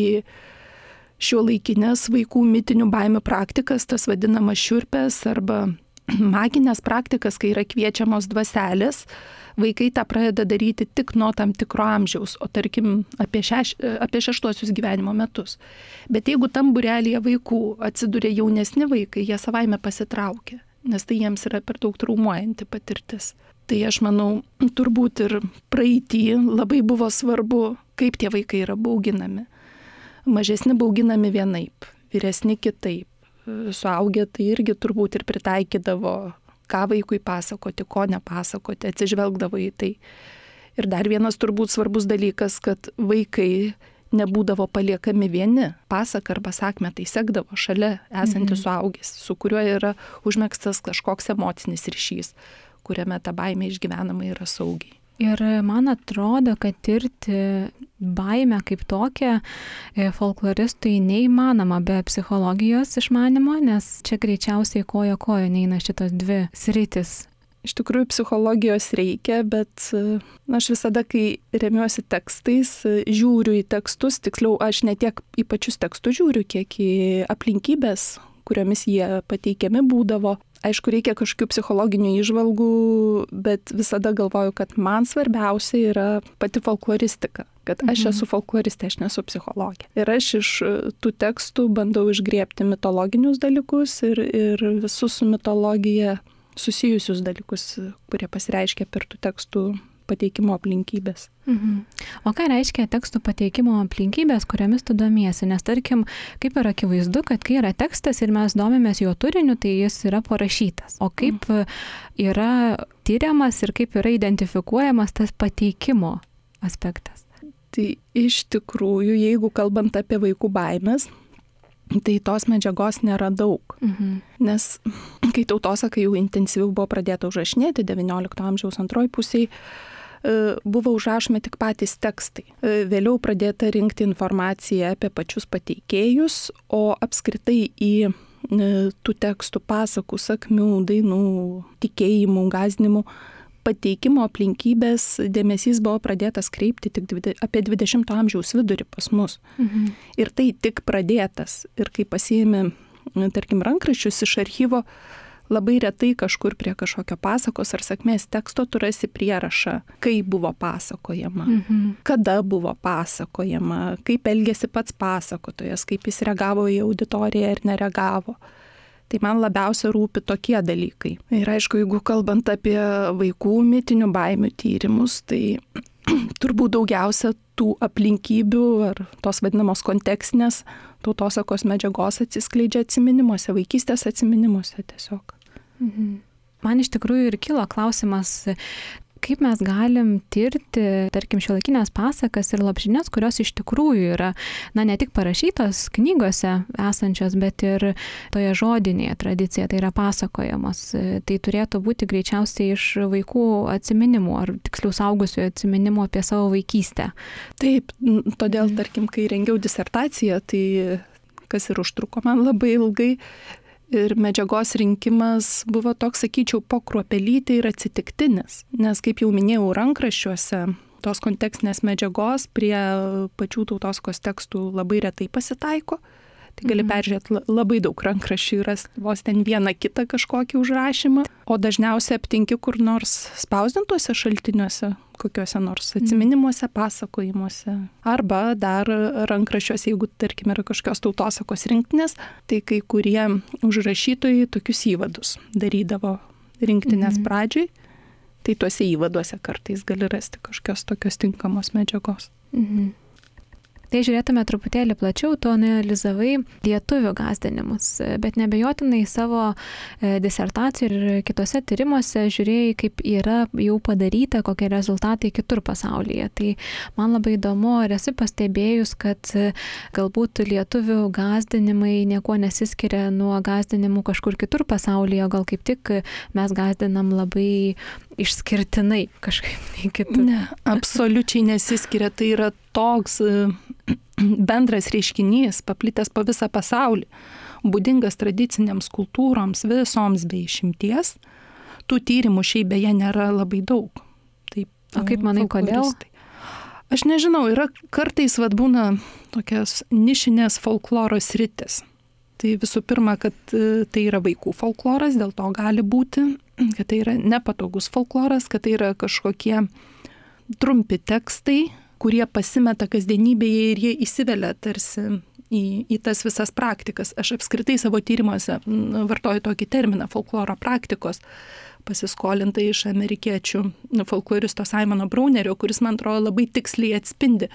šiuolaikinės vaikų mitinių baimių praktikas, tas vadinamas šiurpės arba maginės praktikas, kai yra kviečiamos dvaselės, vaikai tą pradeda daryti tik nuo tam tikro amžiaus, o tarkim apie, šeš, apie šeštuosius gyvenimo metus. Bet jeigu tam būrelyje vaikų atsiduria jaunesni vaikai, jie savaime pasitraukia, nes tai jiems yra per daug traumuojanti patirtis. Tai aš manau, turbūt ir praeitį labai buvo svarbu, kaip tie vaikai yra bauginami. Mažesni bauginami vienaip, vyresni kitaip. Suaugę tai irgi turbūt ir pritaikydavo, ką vaikui pasakoti, ko nepasakoti, atsižvelgdavo į tai. Ir dar vienas turbūt svarbus dalykas, kad vaikai nebūdavo paliekami vieni. Pasaką arba sakmę tai sekdavo šalia esantis mhm. suaugęs, su kuriuo yra užmegztas kažkoks emocinis ryšys, kuriame ta baimė išgyvenama yra saugiai. Ir man atrodo, kad tirti baimę kaip tokią folkloristui neįmanoma be psichologijos išmanimo, nes čia greičiausiai koja koja neina šitos dvi sritis. Iš tikrųjų, psichologijos reikia, bet na, aš visada, kai remiuosi tekstais, žiūriu į tekstus, tiksliau, aš ne tiek į pačius tekstus žiūriu, kiek į aplinkybės, kuriomis jie pateikiami būdavo. Aišku, reikia kažkokių psichologinių įžvalgų, bet visada galvoju, kad man svarbiausia yra pati folkloristika. Kad aš Mhm. esu folkloristė, aš nesu psichologė. Ir aš iš tų tekstų bandau išgriebti mitologinius dalykus ir, ir visus su mitologija susijusius dalykus, kurie pasireiškia per tų tekstų pateikimo aplinkybės. Mhm. O ką reiškia tekstų pateikimo aplinkybės, kuriomis tu domiesi? Nes tarkim, kaip yra akivaizdu, kad kai yra tekstas ir mes domimės jo turiniu, tai jis yra parašytas. O kaip yra tyriamas ir kaip yra identifikuojamas tas pateikimo aspektas? Tai iš tikrųjų, jeigu kalbant apie vaikų baimės, tai tos medžiagos nėra daug. Mhm. Nes kai tautosakai jau intensyviau buvo pradėta užrašinėti devyniolikto amžiaus antroj pusėj, buvo užrašomi tik patys tekstai. Vėliau pradėta rinkti informaciją apie pačius pateikėjus, o apskritai į tų tekstų pasakų, sakmių, dainų, tikėjimų, gąsdinimų pateikimo aplinkybės dėmesys buvo pradėtas kreipti tik dvide, apie dvidešimto amžiaus vidurį pas mus. Mhm. Ir tai tik pradėtas. Ir kai pasiėmė, tarkim, rankraščius iš archyvo, labai retai kažkur prie kažkokio pasakos ar sakmės teksto tu rasi prierašą, kaip buvo pasakojama, Mhm. kada buvo pasakojama, kaip elgėsi pats pasakotojas, kaip jis reagavo į auditoriją ir nereagavo. Tai man labiausia rūpi tokie dalykai. Ir aišku, jeigu kalbant apie vaikų mitinių baimių tyrimus, tai turbūt daugiausia tų aplinkybių ar tos vadinamos kontekstinės tautosakos medžiagos atsiskleidžia atsiminimuose, vaikystės atsiminimuose tiesiog. Mhm. Man iš tikrųjų ir kilo klausimas, kaip mes galim tirti, tarkim, šiuolaikinės pasakas ir lopšines, kurios iš tikrųjų yra, na, ne tik parašytos knygose esančios, bet ir toje žodinėje tradicijoje, tai yra pasakojamos. Tai turėtų būti greičiausiai iš vaikų atsiminimų, ar tiksliau suaugusiųjų atsiminimų apie savo vaikystę. Taip, todėl, tarkim, kai rengiau disertaciją, tai kas ir užtruko man labai ilgai, ir medžiagos rinkimas buvo toks, sakyčiau, po kruopelytę ir atsitiktinis. Nes, kaip jau minėjau, rankraščiuose tos kontekstinės medžiagos prie pačių tautosakos tekstų labai retai pasitaiko. Tai gali Mhm. peržiūrėti labai daug rankraščių ir rasti vos ten vieną kitą kažkokį užrašymą. O dažniausiai aptinki kur nors spausdintuose šaltiniuose, kokiuose nors atsiminimuose, pasakojimuose. Arba dar rankraščiuose, jeigu, tarkim, yra kažkokios tautosakos rinktinės, tai kai kurie užrašytojai tokius įvadus darydavo rinktinės Mhm. pradžiai. Tai tuose įvaduose kartais gali rasti kažkokios tokios tinkamos medžiagos. Mhm. Tai žiūrėtume truputėlį plačiau, tu analizavai lietuvių gąsdinimus, bet nebejotinai savo disertacijų ir kitose tyrimuose žiūrėjai, kaip yra jau padaryta, kokie rezultatai kitur pasaulyje. Tai man labai įdomu, ar esi pastebėjus, kad galbūt lietuvių gąsdinimai niekuo nesiskiria nuo gąsdinimų kažkur kitur pasaulyje, gal kaip tik mes gąsdinam labai išskirtinai kažkaip nei kitur. Ne, absoliučiai nesiskiria. Tai yra toks bendras reiškinys, paplitęs po visą pasaulį, būdingas tradicinėms kultūroms, visoms be išimties. Tų tyrimų šiaip beje nėra labai daug. Taip, o kaip manai, kodėl? Aš nežinau, yra kartais vad būna tokios nišinės folkloro sritis. Tai visų pirma, kad tai yra vaikų folkloras, dėl to gali būti, kad tai yra nepatogus folkloras, kad tai yra kažkokie trumpi tekstai, kurie pasimeta kasdienybėje ir jie įsivelia tarsi į, į tas visas praktikas. Aš apskritai savo tyrimuose vartoju tokį terminą folkloro praktikos, pasiskolintą iš amerikiečių folkloristo Simono Braunerio, kuris, man atrodo, labai tiksliai atspindi.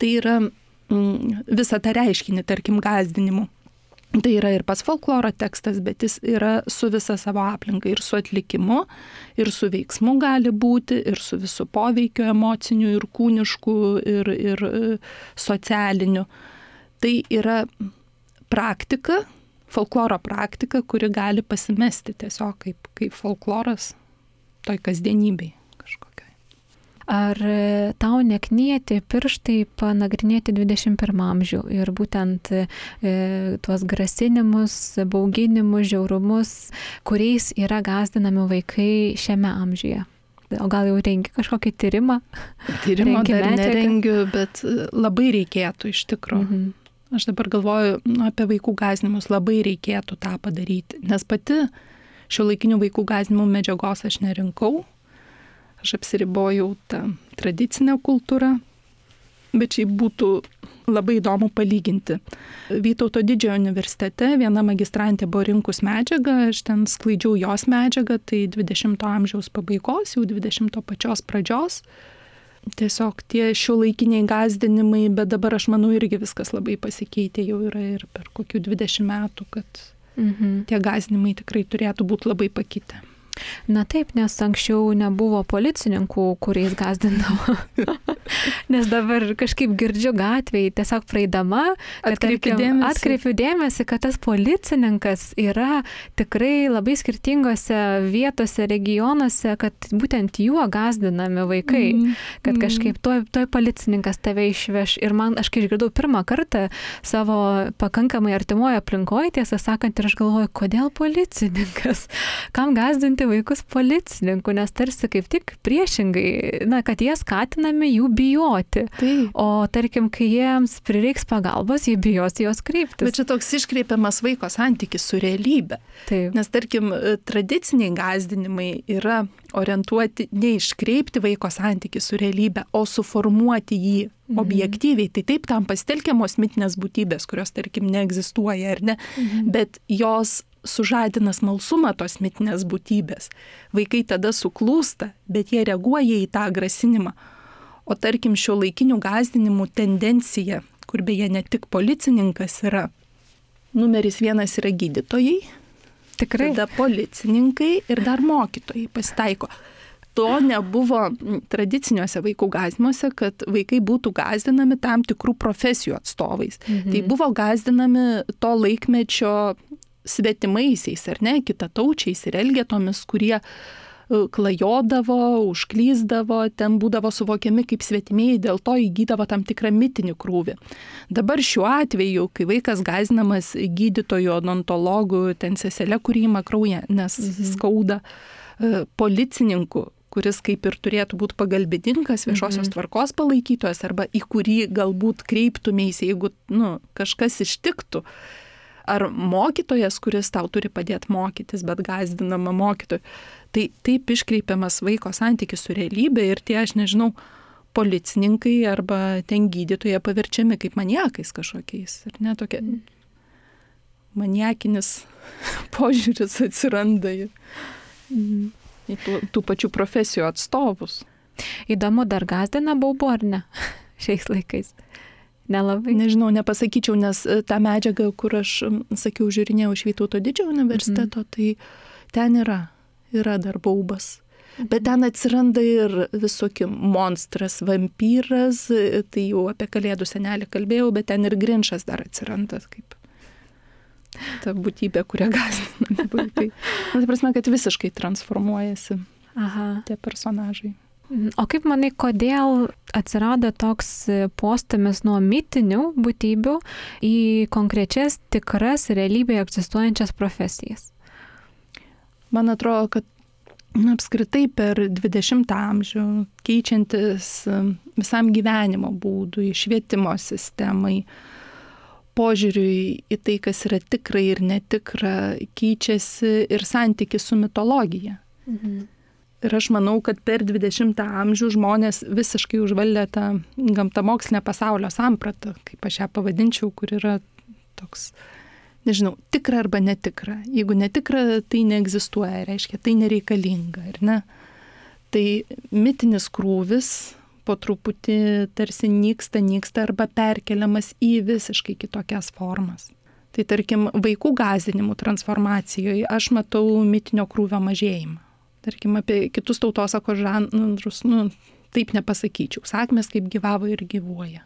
Tai yra mm, visą tą reiškinį, tarkim, gąsdinimų. Tai yra ir pats folkloro tekstas, bet jis yra su visa savo aplinka, ir su atlikimu, ir su veiksmu gali būti, ir su visu poveikiu emociniu, ir kūnišku, ir, ir socialiniu. Tai yra praktika, folkloro praktika, kuri gali pasimesti tiesiog kaip, kaip folkloras toj kasdienybei kažkokiai. Ar tau neknieti pirštai panagrinėti dvidešimt pirmą amžių ir būtent e, tuos grasinimus, bauginimus, žiaurumus, kuriais yra gąsdinami vaikai šiame amžiuje? O gal jau rengi kažkokį tyrimą? Tyrimo dar nerengiu, bet labai reikėtų iš tikrųjų. Mhm. Aš dabar galvoju nu, apie vaikų gąsdinimus, labai reikėtų tą padaryti, nes pati šiuolaikinių vaikų gąsdinimų medžiagos aš nerinkau, aš apsiribojau tą tradicinę kultūrą, bet šiaip būtų labai įdomu palyginti. Vytauto Didžiojo universitete viena magistrantė buvo rinkus medžiagą, aš ten sklaidžiau jos medžiagą, tai dvidešimto amžiaus pabaigos, jau dvidešimto pačios pradžios. Tiesiog tie šiuolaikiniai gąsdinimai, bet dabar aš manau irgi viskas labai pasikeitė, jau yra ir per kokių dvidešimt metų, kad mhm. tie gąsdinimai tikrai turėtų būti labai pakitę. Na taip, nes anksčiau nebuvo policininkų, kuriais gąsdindavo. Nes dabar kažkaip girdžiu gatvėje, tiesiog praeidama, atkreipiu dėmesį. atkreipiu dėmesį, kad tas policininkas yra tikrai labai skirtingose vietose, regionuose, kad būtent juo gąsdinami vaikai, mm. kad kažkaip toj, toj policininkas tave išveš. Ir man, aš kai išgirdau pirmą kartą savo pakankamai artimoje aplinkoje, tiesą sakant, ir aš galvoju, kodėl policininkas? Kam gąsdinti vaikus policininkų, nes tarsi kaip tik priešingai, na, kad jie skatinami jų bijoti. Taip. O tarkim, kai jiems prireiks pagalbos, jie bijos jos kreiptis. Bet čia toks iškreipiamas vaiko santykis su realybė. Taip. Nes tarkim, tradiciniai gąsdinimai yra orientuoti ne iškreipti vaiko santykį su realybė, o suformuoti jį mhm. objektyviai. Tai taip tam pasitelkiamos mitinės būtybės, kurios tarkim neegzistuoja ar ne, mhm. bet jos sužadina smalsumą tos mitinės būtybės. Vaikai tada suklūsta, bet jie reaguoja į tą grasinimą. O tarkim, šiuolaikinių gąsdinimų tendencija, kur beje ne tik policininkas yra, numeris vienas yra gydytojai, tikrai, tada policininkai ir dar mokytojai pasitaiko. To nebuvo tradiciniuose vaikų gąsdinimuose, kad vaikai būtų gąsdinami tam tikrų profesijų atstovais. Mhm. Tai buvo gąsdinami to laikmečio svetimaisiais, ar ne, kitataučiais ir elgetomis, kurie klajodavo, užklysdavo, ten būdavo suvokiami kaip svetimieji, dėl to įgydavo tam tikrą mitinį krūvį. Dabar šiuo atveju, kai vaikas gąsdinamas gydytojų, odontologų, ten seselė, kuri ima kraują, nes mhm. skauda, policininkų, kuris kaip ir turėtų būti pagalbininkas, viešosios mhm. tvarkos palaikytojas, arba į kurį galbūt kreiptumės, jeigu nu, kažkas ištiktų. Ar mokytojas, kuris tau turi padėti mokytis, bet gąsdinama mokytojų. Tai taip iškreipiamas vaiko santykis su realybė ir tie, aš nežinau, policininkai arba ten gydytojai paverčiami kaip maniakais kažkokiais. Ir ne tokia maniakinis požiūris atsiranda į, į tų, tų pačių profesijų atstovus. Įdomu, dar gąsdina baubu ar ne šiais laikais? Nelabai. Nežinau, nepasakyčiau, nes tą medžiagą, kur aš, sakiau, žiūrinėjau iš Vytauto Didžiojo universiteto, mm. tai ten yra, yra dar baubas. Mm. Bet ten atsiranda ir visokių monstras, vampyras, tai jau apie Kalėdų senelį kalbėjau, bet ten ir Grinčas dar atsiranda, kaip ta būtybė, kurią gąsdina vaikai. Tai prasme, kad visiškai transformuojasi Aha. tie personažai. O kaip manai, kodėl atsirado toks postūmis nuo mitinių būtybių į konkrečias tikras realybėje egzistuojančias profesijas? Man atrodo, kad na, apskritai per dvidešimtą amžių keičiantis visam gyvenimo būdui, švietimo sistemai, požiūriui į tai, kas yra tikra ir netikra, keičiasi ir santykis su mitologija. Mhm. Ir aš manau, kad per dvidešimtą amžių žmonės visiškai užvaldė tą gamtamokslinę pasaulio sampratą, kaip aš ją pavadinčiau, kur yra toks, nežinau, tikra arba netikra. Jeigu netikra, tai neegzistuoja, reiškia, tai nereikalinga, ar ne? Tai mitinis krūvis po truputį tarsi nyksta, nyksta arba perkeliamas į visiškai kitokias formas. Tai tarkim, vaikų gąsdinimų transformacijoje aš matau mitinio krūvio mažėjimą. Tarkim, apie kitus tautosakos žanrus, nu, taip nepasakyčiau. Sakmės kaip gyvavo ir gyvuoja.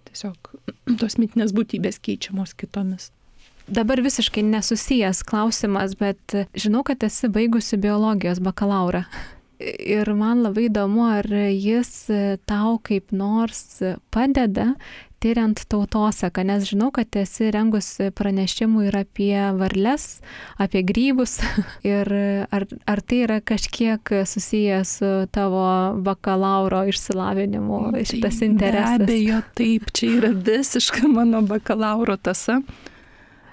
Tiesiog tos mitinės būtybės keičiamos kitomis. Dabar visiškai nesusijęs klausimas, bet žinau, kad esi baigusi biologijos bakalaurą. Ir man labai įdomu, ar jis tau kaip nors padeda tyriant tautosaką, nes žinau, kad esi rengusi pranešimų ir apie varles, apie grybus. Ir ar, ar tai yra kažkiek susijęs su tavo bakalauro išsilavinimu, šitas interesas? Be abejo, taip, čia yra visiška mano bakalauro tąsa.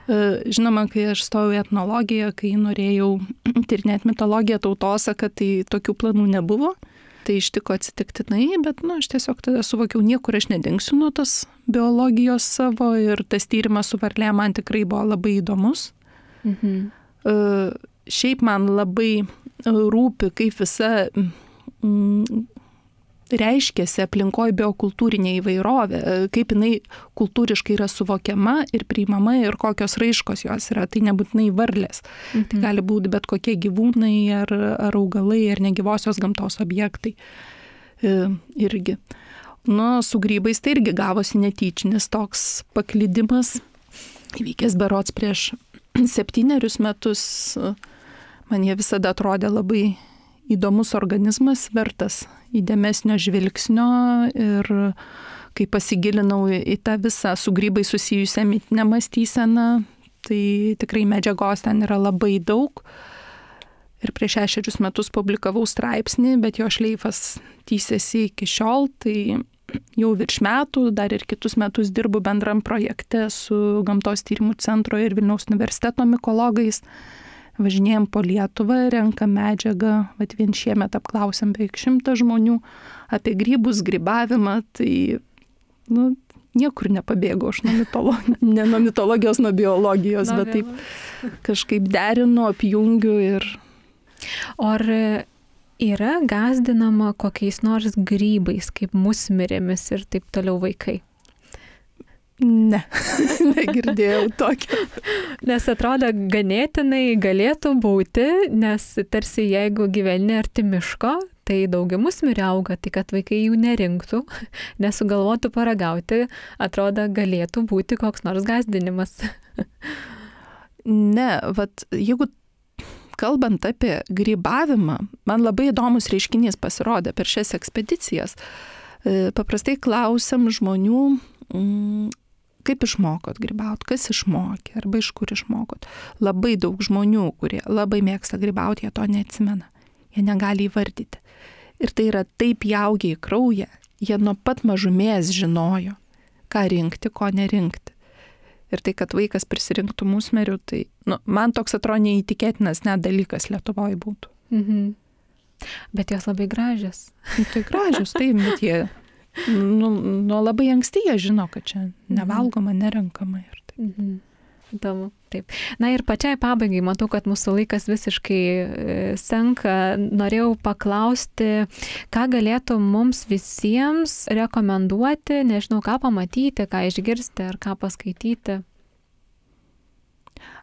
Žinoma, kai aš stojau į etnologiją, kai norėjau tyrinėti mitologiją, tautosaką, tai tokių planų nebuvo. Tai ištiko atsitiktinai, bet nu, aš tiesiog tada suvokiau, niekur aš nedingsiu nuo tos biologijos savo ir tas tyrimas su varlė man tikrai buvo labai įdomus. Mhm. Uh, šiaip man labai rūpi, kaip visa mm, reiškiasi aplinkoje biokultūrinė įvairovė, kaip jinai kultūriškai yra suvokiama ir priimama ir kokios raiškos jos yra. Tai nebūtinai varlės. Mhm. Tai gali būti bet kokie gyvūnai ar, ar augalai ar negyvosios gamtos objektai. E, irgi. Nu, su grybais tai irgi gavosi netyčinis toks paklydimas. Įvykęs berods prieš septynerius metus. Man jie visada atrodė labai įdomus organizmas, vertas įdėmesnio žvilgsnio ir kai pasigilinau į tą visą su grybai susijusią mitinę mąstyseną, tai tikrai medžiagos ten yra labai daug. Ir prieš šešerius metus publikavau straipsnį, bet jo šleifas tįsiasi iki šiol, tai jau virš metų, dar ir kitus metus dirbu bendram projekte su Gamtos tyrimų centro ir Vilniaus universiteto mikologais. Važinėjom po Lietuvą, renkam medžiagą, vat vien šiemet apklausėm beveik šimtą žmonių apie grybus, grybavimą, tai nu, niekur nepabėgau aš nuo mitologijos, ne nuo mitologijos, nuo biologijos, bet taip kažkaip derinu, apjungiu ir... O ar yra gąsdinama kokiais nors grybais, kaip musmirėmis ir taip toliau vaikai? Ne, negirdėjau tokio. Nes atrodo ganėtinai galėtų būti, nes tarsi jeigu gyveni arti miško, tai daugiau musmirių auga, tai kad vaikai jų nerinktų, nesugalvotų paragauti, atrodo galėtų būti koks nors gąsdinimas. Ne, vat jeigu kalbant apie grybavimą, man labai įdomus reiškinys pasirodė per šias ekspedicijas. Paprastai klausiam žmonių, kaip išmokot grybaut, kas išmokė, arba iš kur išmokot. Labai daug žmonių, kurie labai mėgsta grybauti, jie to neatsimena. Jie negali įvardyti. Ir tai yra taip įaugę į kraują, jie nuo pat mažumės žinojo, ką rinkti, ko nerinkti. Ir tai, kad vaikas prisirinktų musmerių, tai nu, man toks atrodo neįtikėtinas net dalykas Lietuvoje būtų. Mhm. Bet jos labai gražios. Tai gražios, tai bet jie nu, nuo labai anksti jie žino, kad čia nevalgoma, nerenkama. Ir taip. Mhm. Įdomu, taip. Na ir pačiai pabaigai, matau, kad mūsų laikas visiškai senka. Norėjau paklausti, ką galėtų mums visiems rekomenduoti, nežinau, ką pamatyti, ką išgirsti ar ką paskaityti.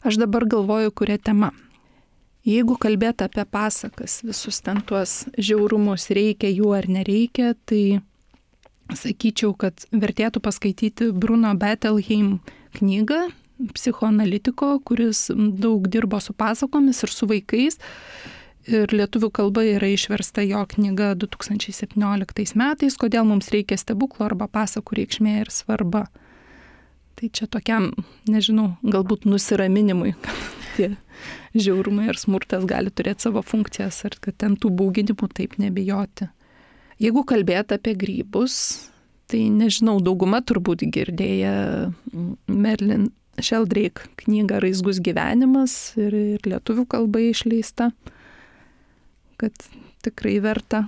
Aš dabar galvoju, kuria tema. Jeigu kalbėti apie pasakas, visus ten tuos žiaurumus, reikia jų ar nereikia, tai sakyčiau, kad vertėtų paskaityti Bruno Bettelheim knygą, psichoanalitiko, kuris daug dirbo su pasakomis ir su vaikais. Ir lietuvių kalba yra išversta jo knyga du tūkstančiai septynioliktais metais, kodėl mums reikia stebuklo arba pasakų reikšmė ir svarba. Tai čia tokiam, nežinau, galbūt nusiraminimui, kad tie žiaurumai ir smurtas gali turėti savo funkcijas ir kad ten tų bauginimų taip nebijoti. Jeigu kalbėti apie grybus, tai nežinau, dauguma turbūt girdėję Merlin Sheldrake knygą Raizgus gyvenimas ir, ir lietuvių kalba išleista, kad tikrai verta.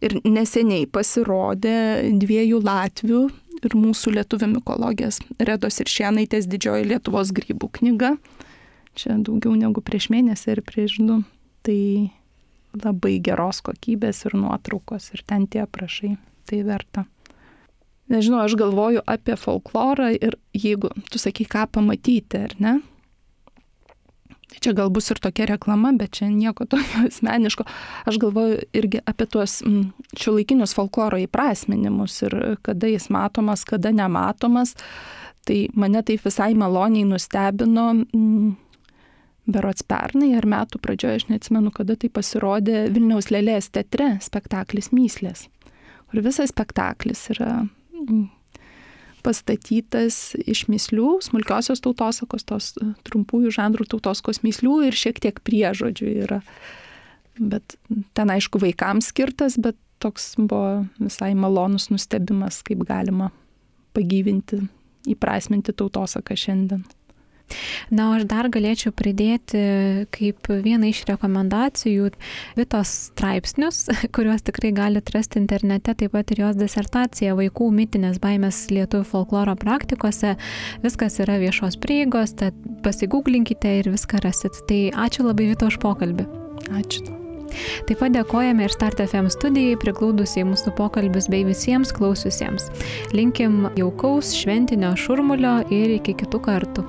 Ir neseniai pasirodė dviejų latvių ir mūsų lietuvių mikologės Redos ir Šienaitės Didžioji Lietuvos grybų knyga. Čia daugiau negu prieš mėnesį ir prieš du. Tai labai geros kokybės ir nuotraukos ir ten tie aprašai. Tai verta. Nežinau, aš galvoju apie folklorą ir jeigu tu sakai, ką pamatyti, ar ne? Tai čia gal bus ir tokia reklama, bet čia nieko tokio asmeniško. Aš galvoju irgi apie tuos šiuolaikinius folkloro įprasminimus ir kada jis matomas, kada nematomas. Tai mane taip visai maloniai nustebino berods pernai ar metų pradžioje, aš neatsimenu, kada tai pasirodė Vilniaus Lėlės teatre spektaklis Myslės, kur visas spektaklis yra pastatytas iš mįslių, smulkiosios tautosakos, tos trumpųjų žanrų tautosakos mįslių ir šiek tiek priežodžių yra. Bet ten aišku vaikams skirtas, bet toks buvo visai malonus nustebimas, kaip galima pagyvinti, įprasminti tautosaką šiandien. Na, o aš dar galėčiau pridėti kaip vieną iš rekomendacijų Vitos straipsnius, kuriuos tikrai galite rasti internete, taip pat ir jos disertacija Vaikų mitinės baimės lietuvių folkloro praktikose. Viskas yra viešos prieigos, tad pasigūglinkite ir viską rasit. Tai ačiū labai Vito už pokalbį. Ačiū. Taip pat dėkojame ir Start F M studijai, priglaudusiai mūsų pokalbius bei visiems klausiusiems. Linkim jaukaus šventinio šurmulio ir iki kitų kartų.